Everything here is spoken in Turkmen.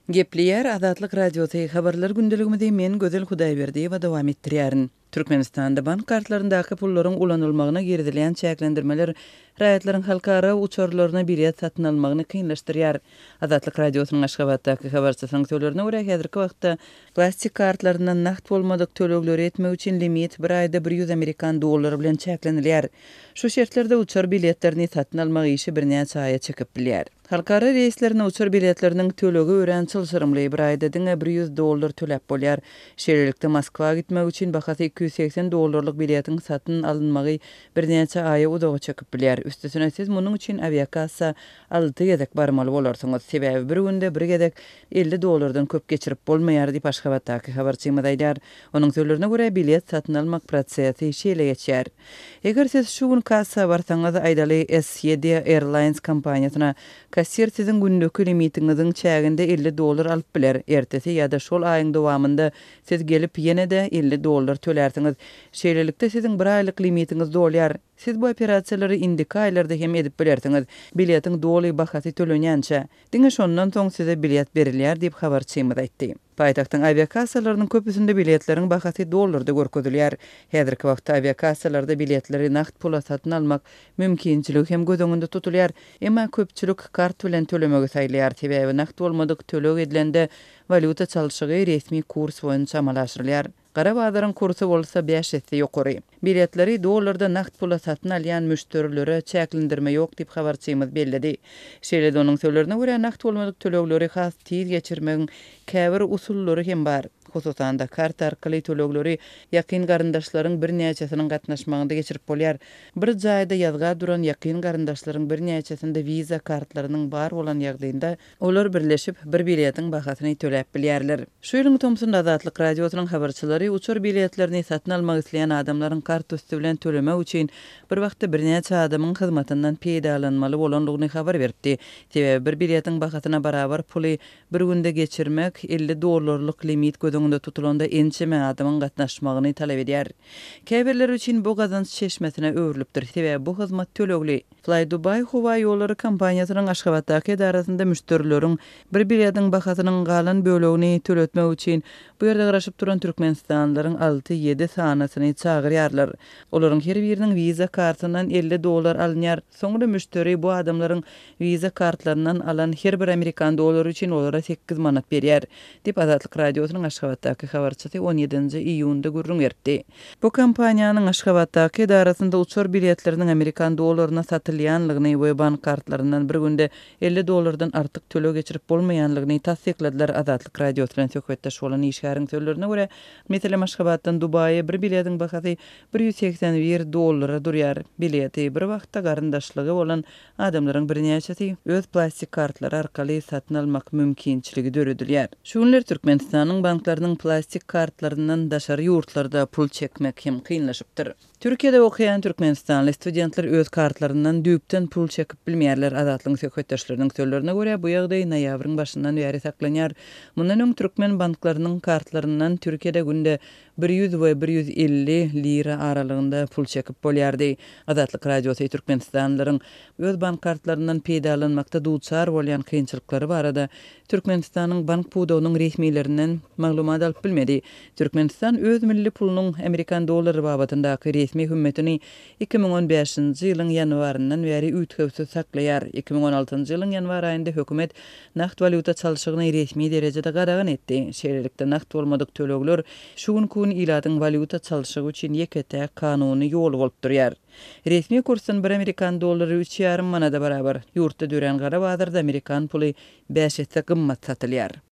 Gepleýär Azatlyk Radiosy, Habarlar gündeligimizi men Gözel Hudaýberdiýewa dowam etdirýärin. Türkmenistanda bank kartlaryndaky pullaryň ulanylmagyna girizilýän çäklendirmeler raýatlaryň halkara uçarlaryna bilet satyn almagyny kynlaşdyrýar. Azatlyk Radiosynyň Aşgabatdaky habarçysynyň sözlerine görä, häzirki wagtda plastik kartlaryndan nagt bolmadyk tölegleri etmek üçin limit bir aýda 100 amerikan dollary bilen çäklenilýär. Şu şertlerde uçar biletlerini satyn almak işi birnäçe aýa çekip bilýär. Halkara reýslerine uçar biletleriniň tölegi örän çylşyrymly, bir aýda diňe 100 dollar töläp bolýar. Şeýlelikde, Moskwa gitmek üçin bahasy 280 dollarlyk biletiň satyn alynmagy birnäçe aýa uzaga çekip bilýär. Üstesine, siz munuň üçin awiakassa alty gezek barmaly bolarsyňyz. Sebäbi bir günde bir gezek 50 dollardan köp geçirip bolmaýar diýip, Aşgabatdaky habarçymyz aýdýar. Onuň sözlerine görä, bilet satyn almak prosesi şeýle geçýär. Eger siz şu gün kassa barsaňyz, aýdaly, SED Airlines kompaniýasyna, kassir siziň gündeki limitiňiziň çäginde 50 dollar alyp biler. Ertesi ýa-da şol aýyň dowamynda siz gelip, ýene-de 50 dollar tölärsiňiz. Şeýlelikde, siziň bir aýlyk limitiňiz dolýar. Siz bu operasiýalary indiki aýlarda hem edip bilersiňiz, biletiň doly bahasy tölenýänçä. Diňe şondan soň size bilet berilýär diýip, habarçymyz aýtdy. Paýtagtyň awiakassalarynyň köpüsinde biletleriň bahasy dollarda görkezilýär. Häzirki wagtda awiakassalarda biletleri nagt pula satyn almak mümkinçiligi hem göz öňünde tutulýar. Emma köpçülik kart bilen tölemegi saýlaýar, sebäbi nagt bolmadyk töleg edilende walýuta çalşygy resmi kurs boýunça amala aşyrylýar. Gara bazaryň kursy bolsa bäş esse ýokary. Biletleri dollarda nagt pula satyn alýan müşderilere çäklendirme ýok diýip, habarçymyz belledi. Şeýle-de onuň sözlerine görä, nagt bolmadyk tölegleri has tiz geçirmegiň käbir usullary hem bar. Hususan-da, karta arkaly tölegleri ýakyn garyndaşlaryň birnäçesiniň gatnaşmagynda geçirip bolýar. Bir jaýda ýazga duran ýakyn garyndaşlaryň birnäçesinde Visa kartlarynyň bar bolan ýagdaýynda, Olar birleşip, bir biletiň bahasyny töläp bilýärler. Şu ýylyň tomsunda Azatlyk Radiosynyň habarçylary uçar biletlerini satyn almak isleýän adamlaryň kart üsti bilen tölemek üçin bir wagtda birnäçe adamyň hyzmatyndan peýdalanmaly bolandygyny habar beripdi. Sebäbi bir biletiň bahasyna barabar puly bir günde geçirmek 50 dollarlyk limit göz öňünde tutulanda ençeme adamyň gatnaşmagyny talap edýär. Käbirleri üçin bu gazanç çeşmesine öwrülipdir. Sebäbi bu hyzmat tölegli. Flydubai howa ýollary kompaniýasynyň Aşgabatdaky edarasynda müşderileriň bir biletiň bahasynyň galan bölegini töletmek üçin bu ýerde garaşyp duran türkmenistanlylaryň alty-ýedi sanysyny çagyrýarlar. Olaryň her biriniň Visa kartyndan 50 dollar alynýar. Soňra müşderi bu adamlaryň Visa kartlaryndan alan her bir amerikan dollary üçin olara sekiz manat berýär, diýip, Azatlyk Radiosynyň Aşgabatdaky habarçysy on ýedinji iýunda gürrüň beripdi. Bu kompaniýanyň Aşgabatdaky edarasynda uçar biletleriniň amerikan dollaryna satylýanlygyny we bank kartlaryndan bir günde 50 dollardan artyk töleg geçirip bolmaýanlygyny tassykladylar. Azatlyk Radiosy bilen söhbetdeş bolan işgäriň sözlerine görä, meselem, Aşgabatdan Dubaýa bir biletiň bahasy 181 dollara durýar. Bileti bir wagtda garyndaşlygy bolan Adamlaryň birnäçesi öz plastik kartlary arkaly satyn almak mümkinçiligi döredilýär. Şu günler Türkmenistanyň banklarynyň plastik kartlaryndan daşary ýurtlarda pul çekmek hem kynlaşypdyr. Türkiýede okaýan türkmenistanly studentler öz kartlaryndan düýpden pul çekip bilmeýärler. Azatlygyň söhbetdeşleriniň sözlerine görä, bu ýagdaý noýabryň başyndan bäri saklanýar. Mundan öň türkmen banklarynyň kartlaryndan Türkiýede günde 100 we 150 lira aralygynda pul çekip bolýardy. Azatlyk Radiosy türkmenistanlylaryň öz bank kartlaryndan peýdalanmakda duçar bolýan kynçylyklary barada Türkmenistanyň bank pudagynyň resmilerinden maglumat alyp bilmedi. Türkmenistan öz milli pulunyň amerikan dollary babatyndaky resmi hümmetini 2015-nji ýylyň ýanwaryndan bäri üýtgewsiz saklaýar. 2016-njy ýylyň ýanwar aýynda hökümet nagt walýuta çalşygyny resmi derejede gadagan etdi. Şeýlelikde, nagt bolmadyk tölegler şu günki gün ilatyň walýuta çalşygy üçin ýeke-täk kanuny ýoly bolup durýar. Resmi kursdan bir amerikan dollary üç ýarym manada barabar. Ýurtda dörän gara bazarda amerikan puly bäş esse gymmat satylýar.